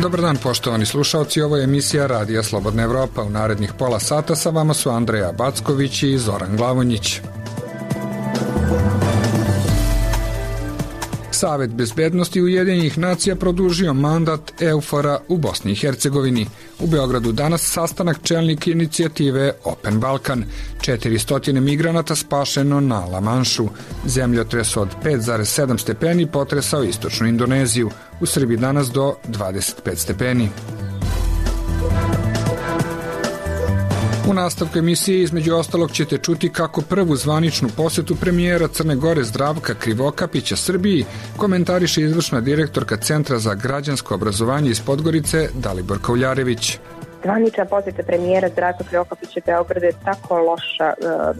Dobar dan, poštovani slušalci, ovo je emisija Radija Slobodna Evropa. U narednih pola sata sa vama su Andreja Backović i Zoran Glavonjić. Savet bezbednosti Ujedinjenih nacija produžio mandat EUFOR-a u Bosni i Hercegovini. U Beogradu danas sastanak čelnika inicijative Open Balkan. 400 migranata spašeno na La Manšu. Zemljotres od 5,7 stepeni potresao istočnu Indoneziju. U Srbiji danas do 25 stepeni. U nastavku emisije između ostalog ćete čuti kako prvu zvaničnu posetu premijera Crne Gore Zdravka Krivokapića Srbiji komentariše izvršna direktorka Centra za građansko obrazovanje iz Podgorice Dalibor Kauljarević. Zvanična posjeta premijera Zdravka Krivokapića Beograda je tako loša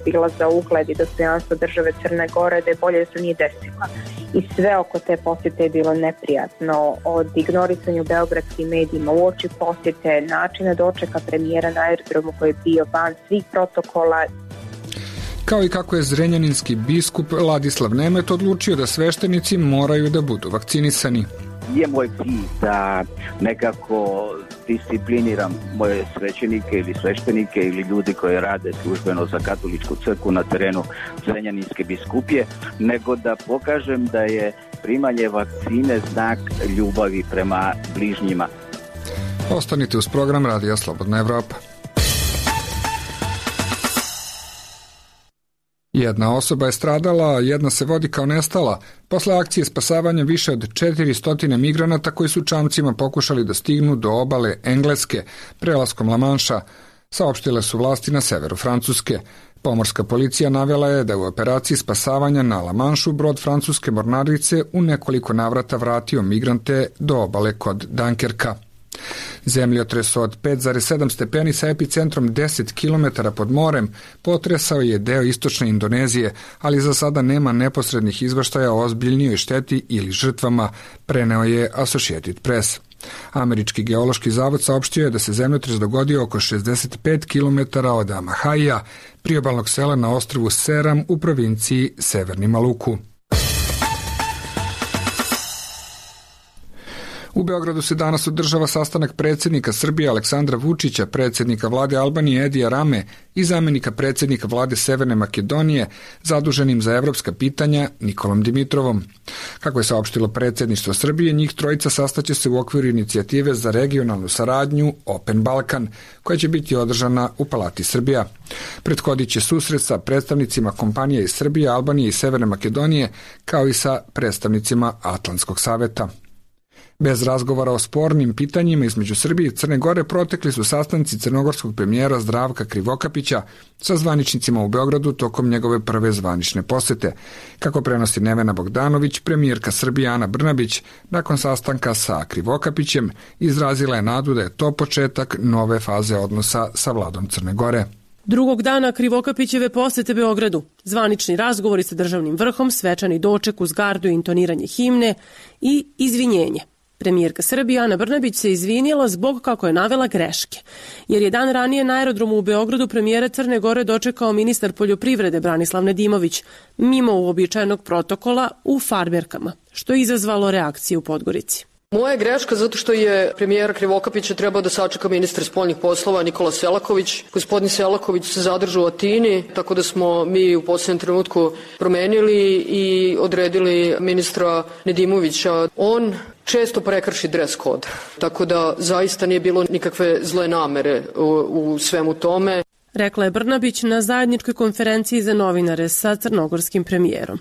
bila za ugled i dostojanstvo države Crne Gore da je bolje da se nije desila. I sve oko te posjete je bilo neprijatno, od ignorisanja u beogradskim medijima uoči posjete, načina dočeka premijera na aerodromu koji je bio van svih protokola. Kao i kako je zrenjaninski biskup Ladislav Nemet odlučio da sveštenici moraju da budu vakcinisani. Je moj cilj da nekako discipliniram moje svećenike ili sveštenike ili ljudi koji rade službeno za katoličku crkvu na terenu Zrenjaninske biskupije, nego da pokažem da je primanje vakcine znak ljubavi prema bližnjima. Ostanite uz program Radija Slobodna Evropa. Jedna osoba je stradala, a jedna se vodi kao nestala posle akcije spasavanja više od 400 migranata koji su čamcima pokušali da stignu do obale Engleske prelaskom La Manša, saopštile su vlasti na severu Francuske. Pomorska policija navela je da u operaciji spasavanja na La Manšu brod francuske mornarice u nekoliko navrata vratio migrante do obale kod Dunkerka. Zemljotres od 5,7 stepeni sa epicentrom 10 km pod morem potresao je deo istočne Indonezije, ali za sada nema neposrednih izveštaja o ozbiljnijoj šteti ili žrtvama, preneo je Associated Press. Američki geološki zavod saopštio je da se zemljotres dogodio oko 65 km od Amahaija, priobalnog sela na ostrvu Seram u provinciji Severni Maluku. U Beogradu se danas održava sastanak predsjednika Srbije Aleksandra Vučića, predsjednika vlade Albanije Edija Rame i zamenika predsjednika vlade Severne Makedonije zaduženim za evropska pitanja Nikolom Dimitrovom. Kako je saopštilo predsjedništvo Srbije, njih trojica sastaće se u okviru inicijative za regionalnu saradnju Open Balkan, koja će biti održana u Palati Srbija. Prethodit će susret sa predstavnicima kompanija iz Srbije, Albanije i Severne Makedonije, kao i sa predstavnicima Atlantskog saveta. Bez razgovora o spornim pitanjima između Srbije i Crne Gore protekli su sastanci crnogorskog premijera Zdravka Krivokapića sa zvaničnicima u Beogradu tokom njegove prve zvanične posete. Kako prenosi Nevena Bogdanović, premijerka Srbije Ana Brnabić nakon sastanka sa Krivokapićem izrazila je nadu da je to početak nove faze odnosa sa vladom Crne Gore. Drugog dana Krivokapićeve posete Beogradu, zvanični razgovori sa državnim vrhom, svečani doček uz gardu i intoniranje himne i izvinjenje. Premijerka Srbije Ana Brnabić se izvinjela zbog, kako je navela, greške, jer je dan ranije na aerodromu u Beogradu premijera Crne Gore dočekao ministar poljoprivrede Branislav Nedimović, mimo uobičajenog protokola u farmerkama, što je izazvalo reakciju u Podgorici. Moja je greška zato što je premijera Krivokapića trebao da sačeka ministar spoljnih poslova Nikola Selaković. Gospodin Selaković se zadržao u Atini, tako da smo mi u posljednjem trenutku promenili i odredili ministra Nedimovića. On često prekrši dres kod, tako da zaista nije bilo nikakve zle namere u svemu tome. Rekla je Brnabić na zajedničkoj konferenciji za novinare sa crnogorskim premijerom.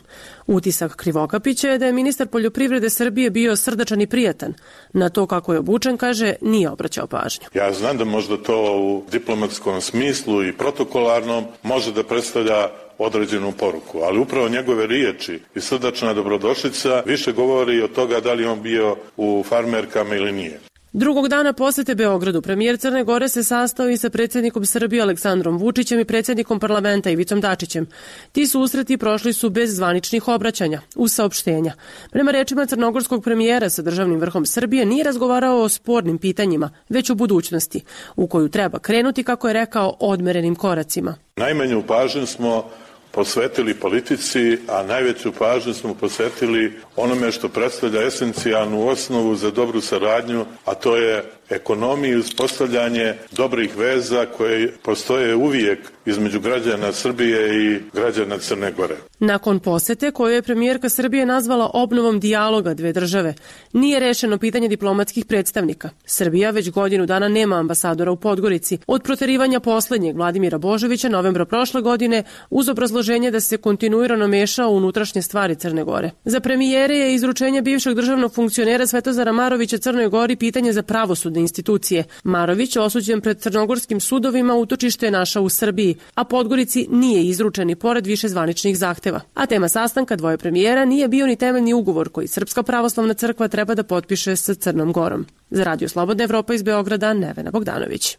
Utisak Krivokapića je da je ministar poljoprivrede Srbije bio srdačan i prijatan. Na to kako je obučen, kaže, nije obraćao pažnju. Ja znam da možda to u diplomatskom smislu i protokolarnom može da predstavlja određenu poruku, ali upravo njegove riječi i srdačna dobrodošlica više govori od toga da li on bio u farmerkama ili nije. Drugog dana posete Beogradu premijer Crne Gore se sastao i sa predsjednikom Srbije Aleksandrom Vučićem i predsjednikom parlamenta Ivicom Dačićem. Ti susreti prošli su bez zvaničnih obraćanja, uz saopštenja. Prema rečima crnogorskog premijera sa državnim vrhom Srbije nije razgovarao o spornim pitanjima, već o budućnosti, u koju treba krenuti, kako je rekao, odmerenim koracima. Najmanju pažnju smo posvetili politici, a najveću pažnju smo posvetili onome što predstavlja esencijalnu osnovu za dobru saradnju, a to je ekonomiju i uspostavljanje dobrih veza koje postoje uvijek između građana Srbije i građana Crne Gore. Nakon posete koju je premijerka Srbije nazvala obnovom dijaloga dve države, nije rešeno pitanje diplomatskih predstavnika. Srbija već godinu dana nema ambasadora u Podgorici. Od proterivanja poslednjeg Vladimira Božovića novembra prošle godine uz obrazloženje da se kontinuirano meša u unutrašnje stvari Crne Gore. Za premijere je izručenje bivšeg državnog funkcionera Svetozara Marovića Crnoj Gori pitanje za pravosudne institucije. Marović, osuđen pred crnogorskim sudovima, utočište je našao u Srbiji, a Podgorici nije izručen i pored više zvaničnih zahteva. A tema sastanka dvoje premijera nije bio ni temeljni ugovor koji Srpska pravoslavna crkva treba da potpiše sa Crnom Gorom. Za Radio Slobodna Evropa iz Beograda, Nevena Bogdanović.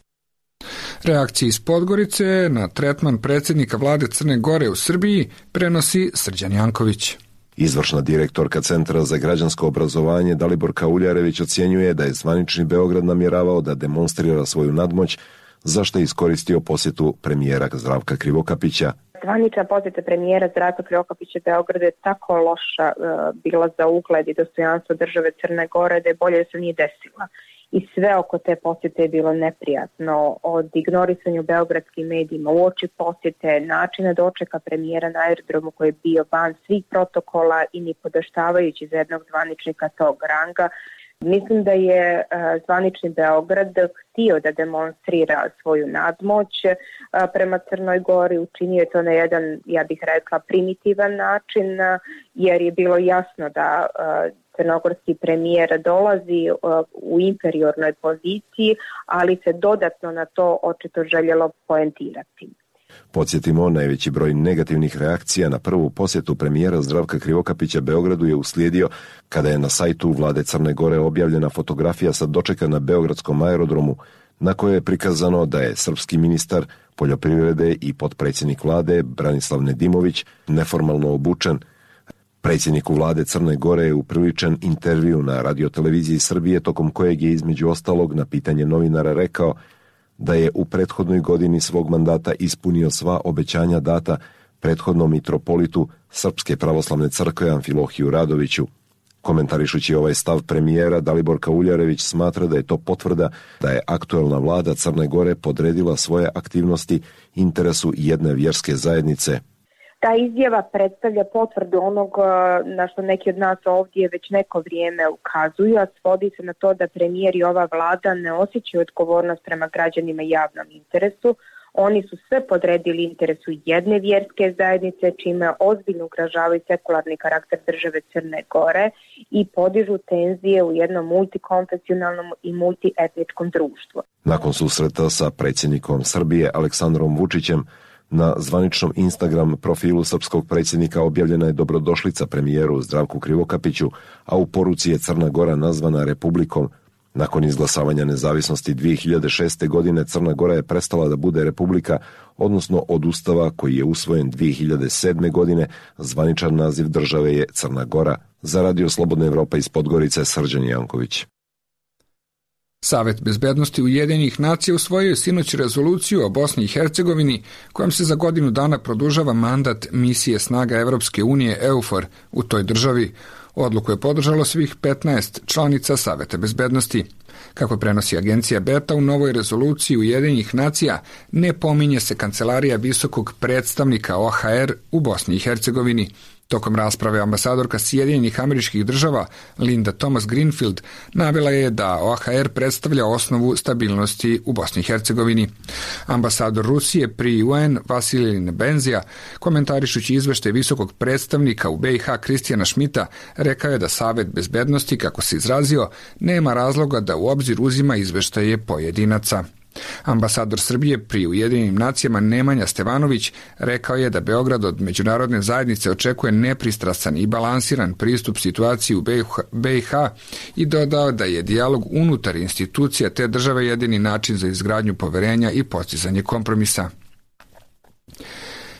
Reakcije iz Podgorice na tretman predsjednika vlade Crne Gore u Srbiji prenosi Srđan Janković. Izvršna direktorka Centra za građansko obrazovanje Daliborka Uljarević ocjenjuje da je zvanični Beograd namjeravao da demonstrira svoju nadmoć, zašto je iskoristio posjetu premijera Zdravka Krivokapića. Zvanična posjeta premijera Zdravka Krivokapića Beogradu je tako loša bila za ugled i dostojanstvo države Crne Gore da je bolje da se nije desila. I sve oko te posjete je bilo neprijatno, od ignorisanja u beogradskim medijima, uoči posjete, načina dočeka premijera na aerodromu koji je bio van svih protokola i ni podaštavajući za jednog zvaničnika tog ranga. Mislim da je zvanični Beograd htio da demonstrira svoju nadmoć prema Crnoj Gori, učinio je to na jedan, ja bih rekla, primitivan način, jer je bilo jasno da crnogorski premijer dolazi u inferiornoj poziciji, ali se dodatno na to očito željelo poentirati. Podsjetimo, najveći broj negativnih reakcija na prvu posjetu premijera Zdravka Krivokapića Beogradu je uslijedio kada je na sajtu vlade Crne Gore objavljena fotografija sa dočeka na beogradskom aerodromu, na kojoj je prikazano da je srpski ministar poljoprivrede i potpredsjednik vlade Branislav Nedimović neformalno obučen. Predsjedniku vlade Crne Gore je upriličen intervju na radioteleviziji Srbije, tokom kojeg je između ostalog na pitanje novinara rekao da je u prethodnoj godini svog mandata ispunio sva obećanja data prethodnom mitropolitu Srpske pravoslavne crkve Amfilohiju Radoviću. Komentarišući ovaj stav premijera, Daliborka Uljarević smatra da je to potvrda da je aktuelna vlada Crne Gore podredila svoje aktivnosti interesu jedne vjerske zajednice. Ta izjava predstavlja potvrdu onog na što neki od nas ovdje već neko vrijeme ukazuju, a svodi se na to da premijer i ova vlada ne osjećaju odgovornost prema građanima i javnom interesu. Oni su sve podredili interesu jedne vjerske zajednice, čime ozbiljno ugrožavaju sekularni karakter države Crne Gore i podižu tenzije u jednom multikonfesionalnom i multietničkom društvu. Nakon susreta sa predsjednikom Srbije Aleksandrom Vučićem, na zvaničnom Instagram profilu srpskog predsjednika objavljena je dobrodošlica premijeru Zdravku Krivokapiću, a u poruci je Crna Gora nazvana republikom. Nakon izglasavanja nezavisnosti 2006. godine Crna Gora je prestala da bude republika, odnosno od ustava koji je usvojen 2007. godine, zvaničan naziv države je Crna Gora. Za Radio Slobodna Evropa iz Podgorice, Srđan Janković. Savet bezbednosti Ujedinjenih nacija usvojio je sinoć rezoluciju o Bosni i Hercegovini kojom se za godinu dana produžava mandat misije snaga Evropske unije EUFOR u toj državi. Odluku je podržalo svih 15 članica Saveta bezbednosti. Kako prenosi agencija Beta, u novoj rezoluciji Ujedinjenih nacija ne pominje se kancelarija visokog predstavnika OHR u Bosni i Hercegovini. Tokom rasprave ambasadorka Sjedinjenih Američkih Država Linda Thomas Greenfield navela je da OHR predstavlja osnovu stabilnosti u Bosni i Hercegovini. Ambasador Rusije pri UN Vasilij Nebenzija, komentarišući izveštaj visokog predstavnika u BiH Kristijana Šmita, rekao je da Savet bezbednosti, kako se izrazio, nema razloga da u obzir uzima izveštaje pojedinaca. Ambasador Srbije pri Ujedinjenim nacijama Nemanja Stevanović rekao je da Beograd od međunarodne zajednice očekuje nepristrasan i balansiran pristup situaciji u BiH i dodao da je dijalog unutar institucija te države jedini način za izgradnju poverenja i postizanje kompromisa.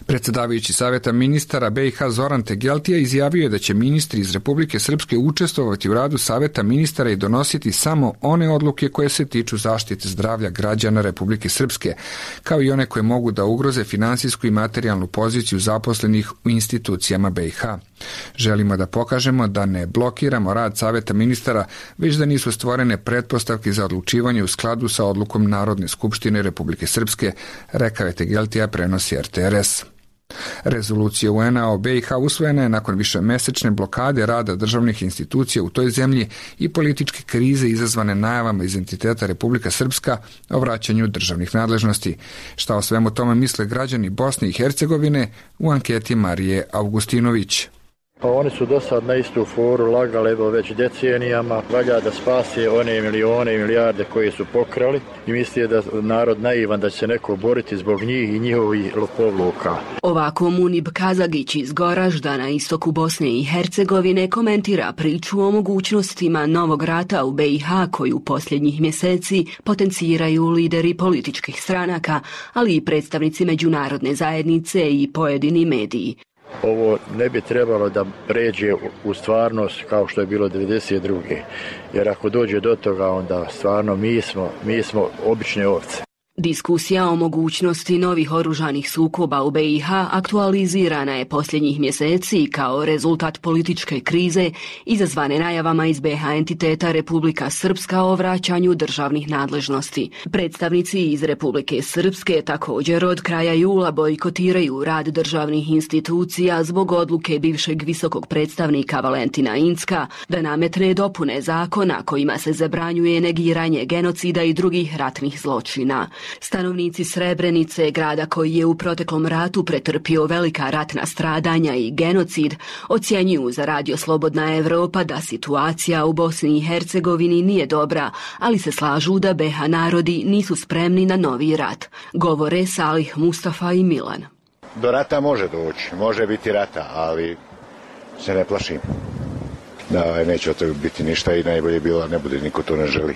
Predsjedavajući Saveta ministara BiH Zoran Tegeltija izjavio je da će ministri iz Republike Srpske učestvovati u radu Saveta ministara i donositi samo one odluke koje se tiču zaštite zdravlja građana Republike Srpske, kao i one koje mogu da ugroze finansijsku i materijalnu poziciju zaposlenih u institucijama BiH. Želimo da pokažemo da ne blokiramo rad Saveta ministara, već da nisu stvorene pretpostavke za odlučivanje u skladu sa odlukom Narodne skupštine Republike Srpske, rekao je Tegeltija, prenosi RTRS. Rezolucija UN-a o BiH usvojena je nakon višemesečne blokade rada državnih institucija u toj zemlji i političke krize izazvane najavama iz entiteta Republika Srpska o vraćanju državnih nadležnosti. Šta o svemu tome misle građani Bosne i Hercegovine u anketi Marije Augustinović. Pa oni su do sad na istu foru lagali već decenijama, valja da spase one milione i milijarde koje su pokrali i misli da narod naivan da će se neko boriti zbog njih i njihovih lopovluka. Ovako Munib Kazagić iz Goražda na istoku Bosne i Hercegovine komentira priču o mogućnostima novog rata u BiH koju posljednjih mjeseci potenciraju lideri političkih stranaka, ali i predstavnici međunarodne zajednice i pojedini mediji. Ovo ne bi trebalo da pređe u stvarnost kao što je bilo 1992. Jer ako dođe do toga, onda stvarno mi smo obične ovce. Diskusija o mogućnosti novih oružanih sukoba u BiH aktualizirana je posljednjih mjeseci kao rezultat političke krize izazvane najavama iz BiH entiteta Republika Srpska o vraćanju državnih nadležnosti. Predstavnici iz Republike Srpske također od kraja jula bojkotiraju rad državnih institucija zbog odluke bivšeg visokog predstavnika Valentina Incka da nametne dopune zakona kojima se zabranjuje negiranje genocida i drugih ratnih zločina. Stanovnici Srebrenice, grada koji je u proteklom ratu pretrpio velika ratna stradanja i genocid, ocjenjuju za Radio Slobodna Evropa da situacija u Bosni i Hercegovini nije dobra, ali se slažu da BiH narodi nisu spremni na novi rat. Govore Salih Mustafa i Milan. Do rata može doći, može biti rata, ali se ne plašim. Da neće od toga biti ništa i najbolje bilo ne bude, niko to ne želi.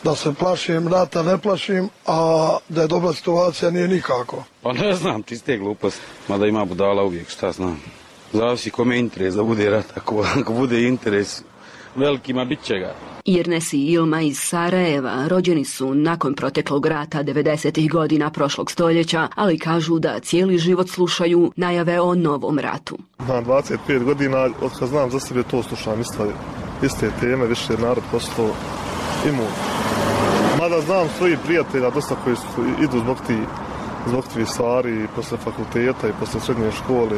Da se plašim rata, ne plašim, a da je dobra situacija nije nikako. Pa ne znam, čiste gluposti, mada ima budala uvijek, šta znam. Zavisi kome interes da bude rat, ako bude interes velikima, bit će ga. Irnes i Ilma iz Sarajeva rođeni su nakon proteklog rata 90. godina prošlog stoljeća, ali kažu da cijeli život slušaju najave o novom ratu. Na 25 godina, od kad znam za sebe, to slušam iste teme, više je narod postao imun. Mada znam svojih prijatelja dosta koji idu zbog tih stvari i posle fakulteta i posle srednje škole.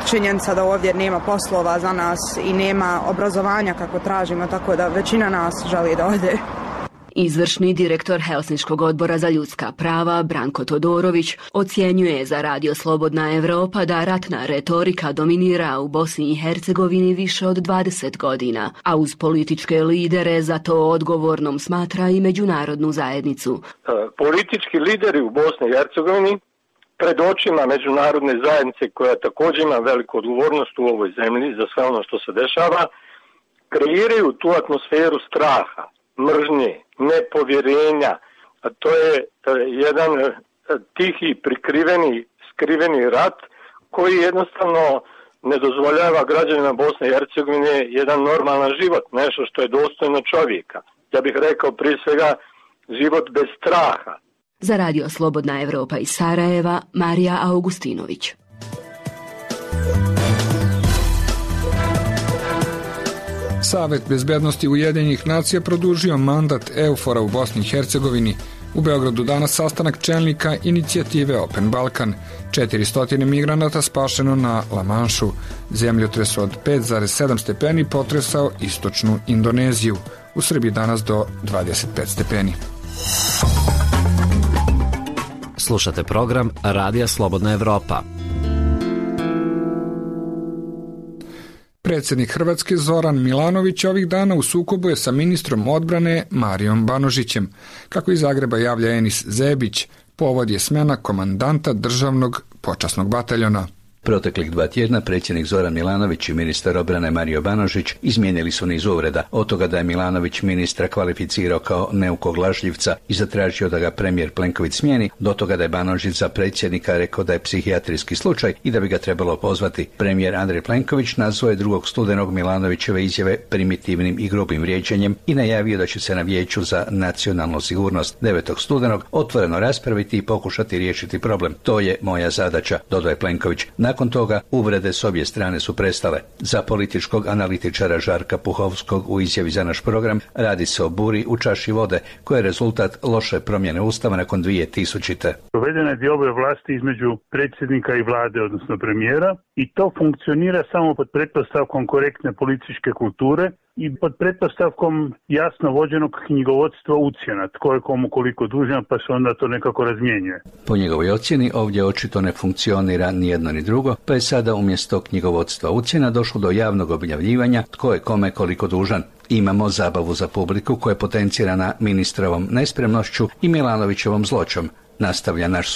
Činjenica da ovdje nema poslova za nas i nema obrazovanja kako tražimo, tako da većina nas želi da ode. Izvršni direktor Helsinškog odbora za ljudska prava Branko Todorović ocjenjuje za Radio Slobodna Evropa da ratna retorika dominira u Bosni i Hercegovini više od 20 godina, a uz političke lidere za to odgovornom smatra i međunarodnu zajednicu. Politički lideri u Bosni i Hercegovini pred očima međunarodne zajednice koja također ima veliku odgovornost u ovoj zemlji za sve ono što se dešava, kreiraju tu atmosferu straha, mržnje, nepovjerenja, a to je jedan tihi, skriveni rat koji jednostavno ne dozvoljava građanima Bosne i Hercegovine jedan normalan život, nešto što je dostojno čovjeka. Ja bih rekao prije svega život bez straha. Za Radio Slobodna Evropa iz Sarajeva, Marija Augustinović. Savet bezbednosti Ujedinjenih nacija produžio mandat EUFOR-a u Bosni i Hercegovini. U Beogradu danas sastanak čelnika inicijative Open Balkan. 400 migranata spašeno na La Manšu. Zemljotres od 5,7 stepeni potresao istočnu Indoneziju. U Srbiji danas do 25 stepeni. Slušate program Radija Slobodna Evropa. Predsjednik Hrvatske Zoran Milanović ovih dana u sukobu je sa ministrom odbrane Marijom Banožićem. Kako iz Zagreba javlja Enis Zebić, povod je smjena komandanta državnog počasnog bataljona. Proteklih 2 tjedna predsjednik Zoran Milanović i ministar obrane Mario Banožić izmijenili su niz uvreda, od toga da je Milanović ministra kvalificirao kao neukog lažljivca i zatražio da ga premijer Plenković smijeni, do toga da je Banožić za predsjednika rekao da je psihijatrijski slučaj i da bi ga trebalo pozvati. Premijer Andrej Plenković nazvao je 2. studenog Milanovićeve izjave primitivnim i grubim vrijeđanjem i najavio da će se na Vijeću za nacionalnu sigurnost 9. studenog otvoreno raspraviti i pokušati riješiti problem. To je moja zadaća, dodao je Plenković. Nakon toga uvrede s obje strane su prestale. Za političkog analitičara Žarka Puhovskog u izjavi za naš program radi se o buri u čaši vode koja je rezultat loše promjene Ustava nakon 2000. Provedena je dioba vlasti između predsjednika i vlade, odnosno premijera, i to funkcionira samo pod pretpostavkom korektne političke kulture i pod pretpostavkom jasno vođenog knjigovodstva ucjena, tko je komu koliko dužan, pa se onda to nekako razmjenjuje. Po njegovoj ocjeni ovdje očito ne funkcionira ni jedno ni drugo, pa je sada umjesto knjigovodstva ucjena došlo do javnog objavljivanja tko je kome koliko dužan. Imamo zabavu za publiku koja je potencirana ministrovom nespremnošću i Milanovićevom zloćom. Nastavlja naš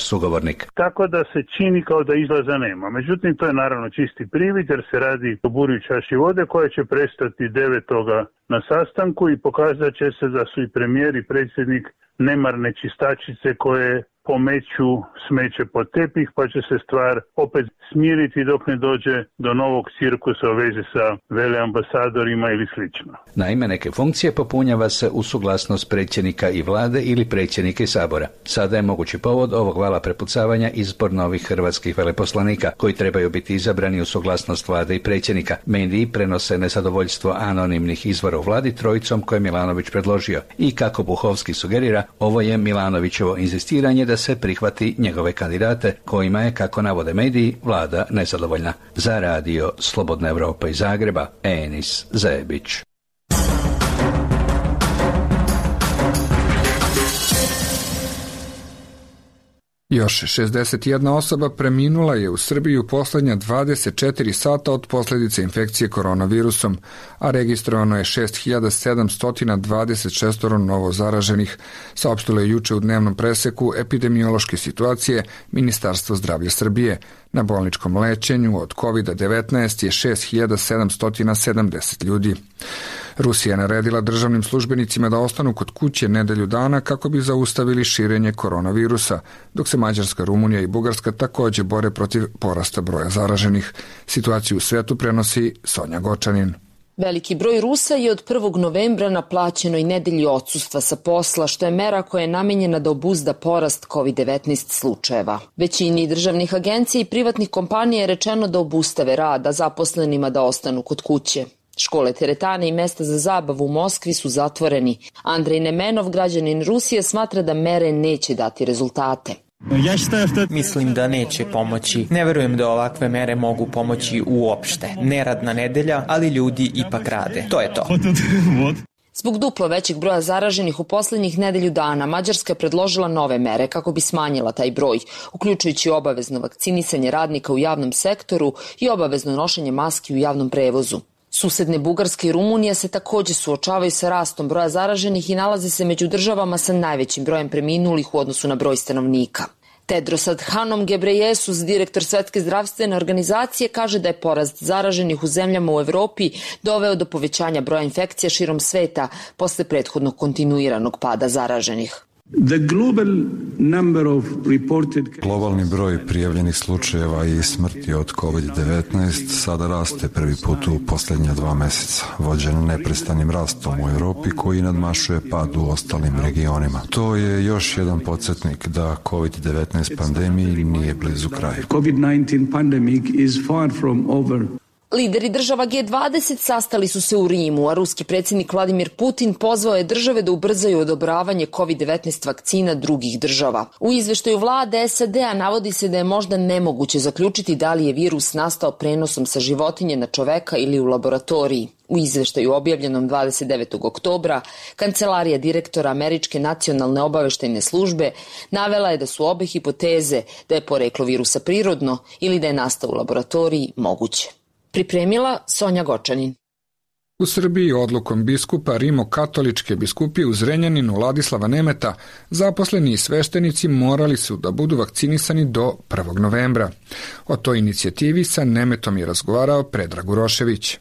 sugovornik. Tako da se čini kao da izlaza nema. Međutim, to je naravno čisti privid jer se radi o buri u čaši vode koja će prestati 9. na sastanku i pokazat će se da su i premijer i predsjednik nemarne čistačice koje pomeću smeće pod tepih, pa će se stvar opet smiriti dok ne dođe do novog cirkusa u vezi sa veleambasadorima ili slično. Naime, neke funkcije popunjava se u suglasnost predsjednika i vlade ili predsjednika i sabora. Sada je mogući povod ovog vala prepucavanja izbor novih hrvatskih veleposlanika koji trebaju biti izabrani u suglasnost vlade i predsjednika. Mediji prenose nezadovoljstvo anonimnih izvora u vladi trojicom koje je Milanović predložio. I kako Buhovski sugerira, ovo je Milanovićevo inzistiranje da se prihvati njegove kandidate kojima je, kako navode mediji, vlada nezadovoljna. Za radio Slobodna Evropa iz Zagreba, Enis Zebić. Još 61 osoba preminula je u Srbiji u posljednja 24 sata od posljedice infekcije koronavirusom, a registrovano je 6726 novo zaraženih, saopštilo je juče u dnevnom preseku epidemiološke situacije Ministarstvo zdravlja Srbije. Na bolničkom lečenju od COVID-19 je 6770 ljudi. Rusija je naredila državnim službenicima da ostanu kod kuće nedelju dana kako bi zaustavili širenje koronavirusa, dok se Mađarska, Rumunija i Bugarska također bore protiv porasta broja zaraženih. Situaciju u svetu prenosi Sonja Gočanin. Veliki broj Rusa je od 1. novembra na plaćenoj nedelji odsustva sa posla, što je mera koja je namenjena da obuzda porast COVID-19 slučajeva. Većini državnih agencija i privatnih kompanija je rečeno da obustave rad, a zaposlenima da ostanu kod kuće. Škole, teretane i mesta za zabavu u Moskvi su zatvoreni. Andrej Nemenov, građanin Rusije, smatra da mere neće dati rezultate. Mislim da neće pomoći. Ne verujem da ovakve mere mogu pomoći uopšte. Neradna nedelja, ali ljudi ipak rade. To je to. Zbog duplo većeg broja zaraženih u posljednjih nedelju dana, Mađarska je predložila nove mere kako bi smanjila taj broj, uključujući obavezno vakcinisanje radnika u javnom sektoru i obavezno nošenje maski u javnom prevozu. Susedne Bugarske i Rumunije se također suočavaju sa rastom broja zaraženih i nalaze se među državama sa najvećim brojem preminulih u odnosu na broj stanovnika. Tedros Adhanom Ghebreyesus, direktor Svjetske zdravstvene organizacije, kaže da je porast zaraženih u zemljama u Evropi doveo do povećanja broja infekcija širom sveta posle prethodnog kontinuiranog pada zaraženih. Globalni broj prijavljenih slučajeva i smrti od COVID-19 sada raste prvi put u posljednja 2 mjeseca, vođen neprestanim rastom u Europi koji nadmašuje pad u ostalim regionima. To je još jedan podsjetnik da COVID-19 pandemiji nije blizu kraju. COVID-19 pandemic is far from over. Lideri država G20 sastali su se u Rimu, a ruski predsjednik Vladimir Putin pozvao je države da ubrzaju odobravanje COVID-19 vakcina drugih država. U izveštaju vlade SAD-a navodi se da je možda nemoguće zaključiti da li je virus nastao prenosom sa životinje na čoveka ili u laboratoriji. U izveštaju objavljenom 29. oktobra, kancelarija direktora Američke nacionalne obaveštajne službe navela je da su obe hipoteze da je poreklo virusa prirodno ili da je nastao u laboratoriji moguće. Pripremila Sonja Gočanin. U Srbiji odlukom biskupa Rimokatoličke biskupije u Zrenjaninu Ladislava Nemeta zaposleni i sveštenici morali su da budu vakcinisani do 1. novembra. O toj inicijativi sa Nemetom je razgovarao Predrag Urošević.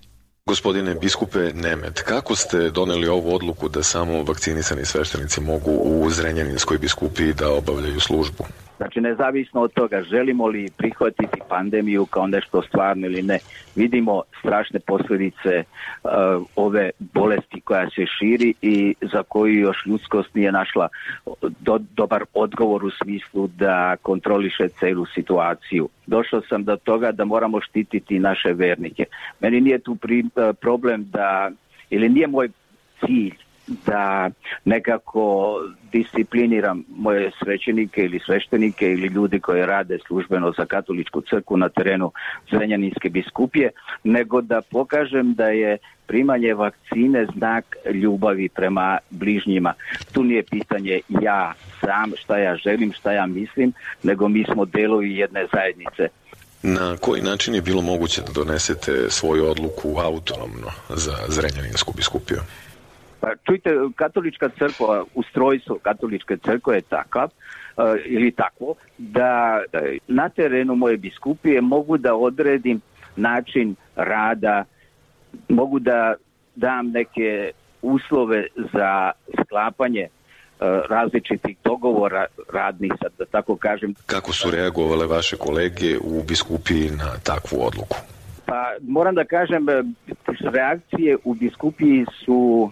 Gospodine biskupe Nemet, kako ste doneli ovu odluku da samo vakcinisani sveštenici mogu u Zrenjaninskoj biskupiji da obavljaju službu? Znači, nezavisno od toga želimo li prihvatiti pandemiju kao nešto stvarno ili ne, vidimo strašne posljedice ove bolesti koja se širi i za koju još ljudskost nije našla dobar odgovor u smislu da kontroliše celu situaciju. Došao sam do toga da moramo štititi naše vernike. Meni nije tu problem ili nije moj cilj da nekako discipliniram moje svećenike ili sveštenike ili ljudi koji rade službeno za katoličku crkvu na terenu Zrenjaninske biskupije, nego da pokažem da je primanje vakcine znak ljubavi prema bližnjima. Tu nije pitanje ja sam, šta ja želim, šta ja mislim, nego mi smo delovi jedne zajednice. Na koji način je bilo moguće da donesete svoju odluku autonomno za Zrenjaninsku biskupiju? Čujte, katolička crkva, ustrojstvo katoličke crkve je takav ili takvo da na terenu moje biskupije mogu da odredim način rada, mogu da dam neke uslove za sklapanje različitih dogovora radnih, sad da tako kažem. Kako su reagovale vaše kolege u biskupiji na takvu odluku? Pa moram da kažem, reakcije u biskupiji su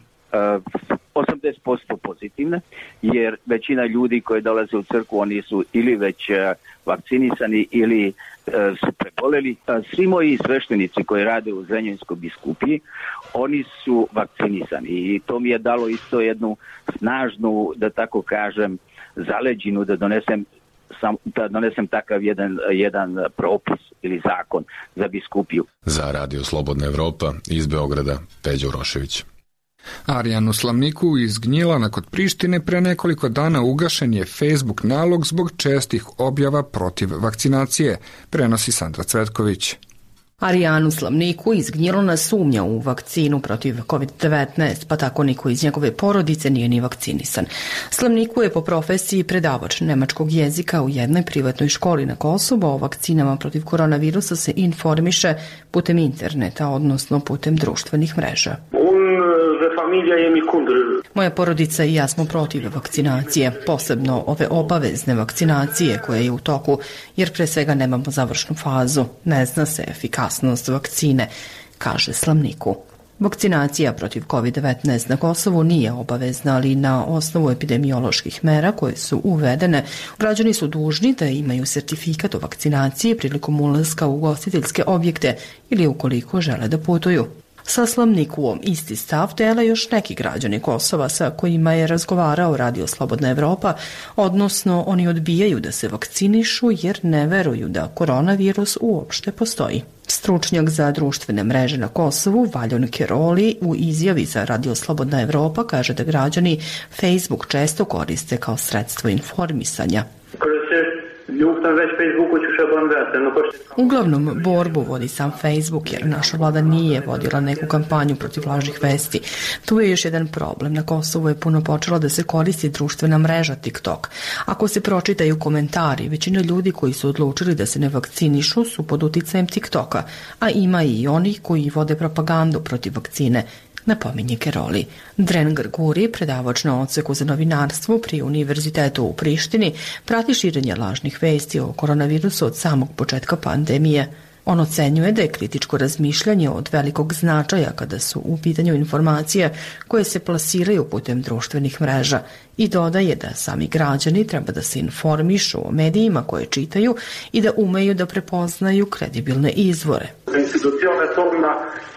80% pozitivne, jer većina ljudi koji dolaze u crkvu, oni su ili već vakcinisani ili su preboleli. Svi moji sveštenici koji rade u Zrenjaninskoj biskupiji, oni su vakcinisani i to mi je dalo isto jednu snažnu, da tako kažem, zaleđinu da donesem takav jedan propis ili zakon za biskupiju. Za Radio Slobodna Evropa iz Beograda, Peđa Urošević. Arijanu Slavniku iz Gnjilana kod Prištine pre nekoliko dana ugašen je Facebook nalog zbog čestih objava protiv vakcinacije, prenosi Sandra Cvetković. Arijanu Slavniku iz Gnjilana sumnja u vakcinu protiv COVID-19, pa tako niko iz njegove porodice nije ni vakcinisan. Slavniku je po profesiji predavač nemačkog jezika u jednoj privatnoj školi na Kosovu. O vakcinama protiv koronavirusa se informiše putem interneta, odnosno putem društvenih mreža. Moja porodica i ja smo protiv vakcinacije, posebno ove obavezne vakcinacije koja je u toku, jer pre svega nemamo završnu fazu. Ne zna se efikasnost vakcine, kaže Slavniku. Vakcinacija protiv COVID-19 na Kosovu nije obavezna, ali na osnovu epidemioloških mera koje su uvedene, građani su dužni da imaju sertifikat o vakcinaciji prilikom ulaska u ugostiteljske objekte ili ukoliko žele da putuju. Sa Slavnikuom isti stav dele još neki građani Kosova sa kojima je razgovarao Radio Slobodna Evropa, odnosno oni odbijaju da se vakcinišu jer ne veruju da koronavirus uopšte postoji. Stručnjak za društvene mreže na Kosovu, Valjon Keroli, u izjavi za Radio Slobodna Evropa kaže da građani Facebook često koriste kao sredstvo informisanja. Uglavnom, borbu vodi sam Facebook jer naša vlada nije vodila neku kampanju protiv lažnih vesti. Tu je još jedan problem. Na Kosovu je puno počela da se koristi društvena mreža TikTok. Ako se pročitaju komentari, većina ljudi koji su odlučili da se ne vakcinišu su pod uticajem TikToka, a ima i onih koji vode propagandu protiv vakcine, napominje Keroli. Dren Grguri, predavač na odseku za novinarstvo pri Univerzitetu u Prištini, prati širenje lažnih vesti o koronavirusu od samog početka pandemije. On ocenjuje da je kritičko razmišljanje od velikog značaja kada su u pitanju informacije koje se plasiraju putem društvenih mreža i dodaje da sami građani treba da se informišu o medijima koje čitaju i da umeju da prepoznaju kredibilne izvore.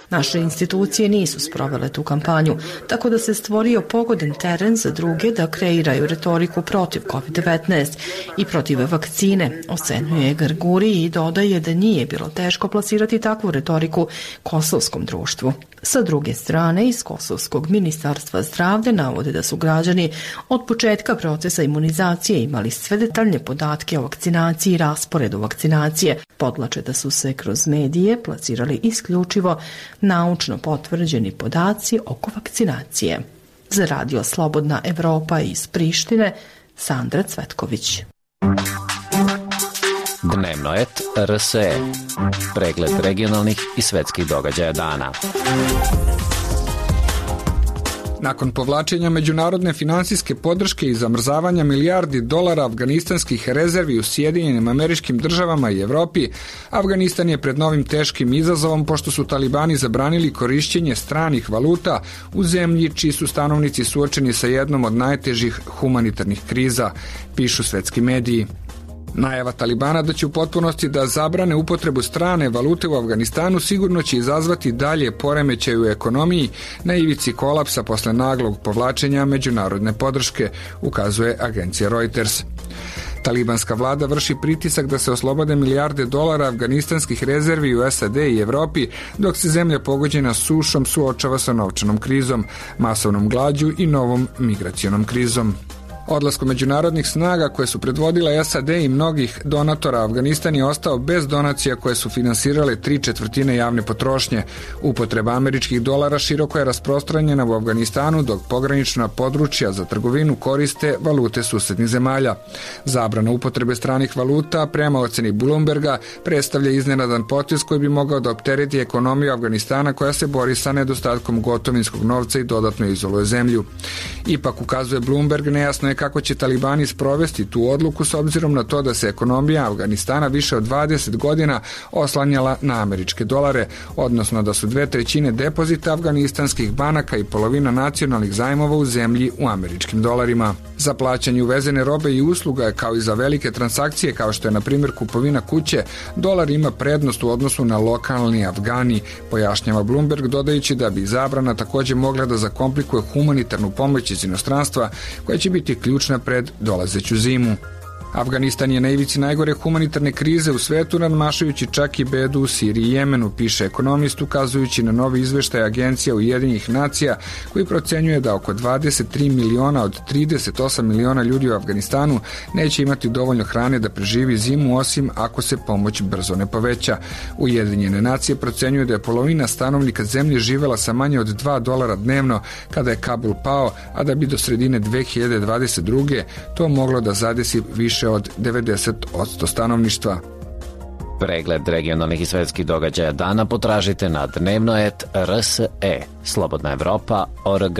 Naše institucije nisu sprovele tu kampanju, tako da se stvorio pogodan teren za druge da kreiraju retoriku protiv COVID-19 i protiv vakcine, ocenjuje Grguri i dodaje da nije bilo teško plasirati takvu retoriku kosovskom društvu. Sa druge strane, iz Kosovskog ministarstva zdravlja navode da su građani od početka procesa imunizacije imali sve detaljne podatke o vakcinaciji i rasporedu vakcinacije. Podlače da su se kroz medije plasirali isključivo naučno potvrđeni podaci oko vakcinacije. Za Radio Slobodna Evropa iz Prištine, Sandra Cvetković. Dnevnoet RSE. Pregled regionalnih i svetskih događaja dana. Nakon povlačenja međunarodne finansijske podrške i zamrzavanja milijardi dolara afganistanskih rezervi u Sjedinjenim Američkim Državama i Evropi, Afganistan je pred novim teškim izazovom pošto su talibani zabranili korišćenje stranih valuta u zemlji čiji su stanovnici suočeni sa jednom od najtežih humanitarnih kriza, pišu svetski mediji. Najava Talibana da će u potpunosti da zabrane upotrebu strane valute u Afganistanu sigurno će izazvati dalje poremećaje u ekonomiji na ivici kolapsa posle naglog povlačenja međunarodne podrške, ukazuje agencija Reuters. Talibanska vlada vrši pritisak da se oslobode milijarde dolara afganistanskih rezervi u SAD i Evropi, dok se zemlja pogođena sušom suočava sa novčanom krizom, masovnom glađu i novom migracionom krizom. Odlaskom međunarodnih snaga koje su predvodile SAD i mnogih donatora, Afganistan je ostao bez donacija koje su finansirale 3/4 javne potrošnje. Upotreba američkih dolara široko je rasprostranjena u Afganistanu, dok pogranična područja za trgovinu koriste valute susednih zemalja. Zabrana upotrebe stranih valuta, prema oceni Bloomberga, predstavlja iznenadan potez koji bi mogao da optereti ekonomiju Afganistana koja se bori sa nedostatkom gotovinskog novca i dodatno izoluje zemlju. Ipak, ukazuje Bloomberg, nejasno je kako će talibani sprovesti tu odluku s obzirom na to da se ekonomija Afganistana više od 20 godina oslanjala na američke dolare, odnosno da su 2/3 depozita afganistanskih banaka i polovina nacionalnih zajmova u zemlji u američkim dolarima. Za plaćanje uvezene robe i usluga, kao i za velike transakcije kao što je na primjer kupovina kuće, dolar ima prednost u odnosu na lokalni Afgani, pojašnjava Bloomberg, dodajući da bi zabrana također mogla da zakomplikuje humanitarnu pomoć iz inostranstva koja će biti ključna pred dolazeću zimu. Afganistan je na ivici najgore humanitarne krize u svetu, nadmašujući čak i bedu u Siriji i Jemenu, piše ekonomist, ukazujući na novi izveštaj Agencija Ujedinjenih nacija koji procenjuje da oko 23 miliona od 38 miliona ljudi u Afganistanu neće imati dovoljno hrane da preživi zimu, osim ako se pomoć brzo ne poveća. Ujedinjene nacije procenjuju da je polovina stanovnika zemlje živela sa manje od $2 dnevno kada je Kabul pao, a da bi do sredine 2022. to moglo da zadesi više od 90% stanovništva. Pregled regionalnih i svetskih događaja dana potražite na dnevnoet RSE, Slobodna Evropa.org.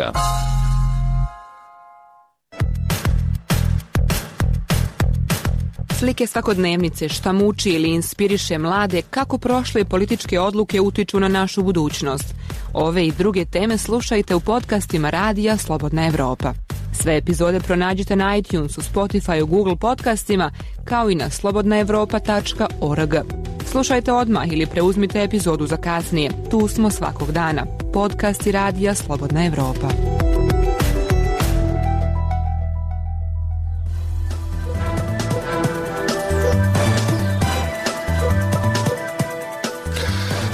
Slike svakodnevnice, šta muči ili inspiriše mlade, kako prošle političke odluke utiču na našu budućnost. Ove i druge teme slušajte u podcastima Radija Slobodna Evropa. Sve epizode pronađite na iTunesu, Spotifyu, Google podcastima, kao i na slobodnaevropa.org. Slušajte odmah ili preuzmite epizodu za kasnije. Tu smo svakog dana. Podcasti Radija Slobodna Evropa.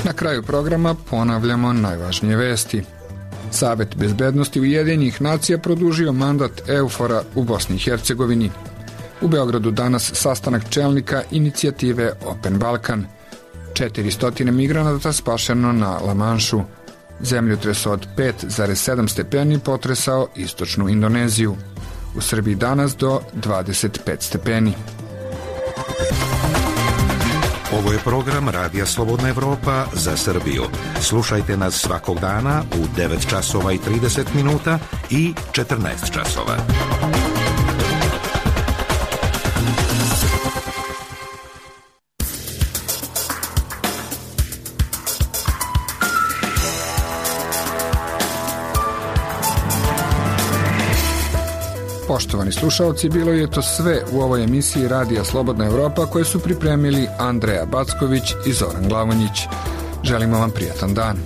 Na kraju programa ponavljamo najvažnije vesti. Savet bezbednosti Ujedinjenih nacija produžio mandat EUFOR-a u Bosni i Hercegovini. U Beogradu danas sastanak čelnika inicijative Open Balkan. 400 migranata spašeno na Lamanšu. Zemljotres od 5,7 stepeni potresao istočnu Indoneziju. U Srbiji danas do 25 stepeni. Ovo je program Radija Slobodna Evropa za Srbiju. Slušajte nas svakog dana u 9 časova i 30 minuta i 14 časova. Poštovani slušalci, bilo je to sve u ovoj emisiji Radija Slobodna Evropa koje su pripremili Andreja Backović i Zoran Glavonjić. Želimo vam prijatan dan.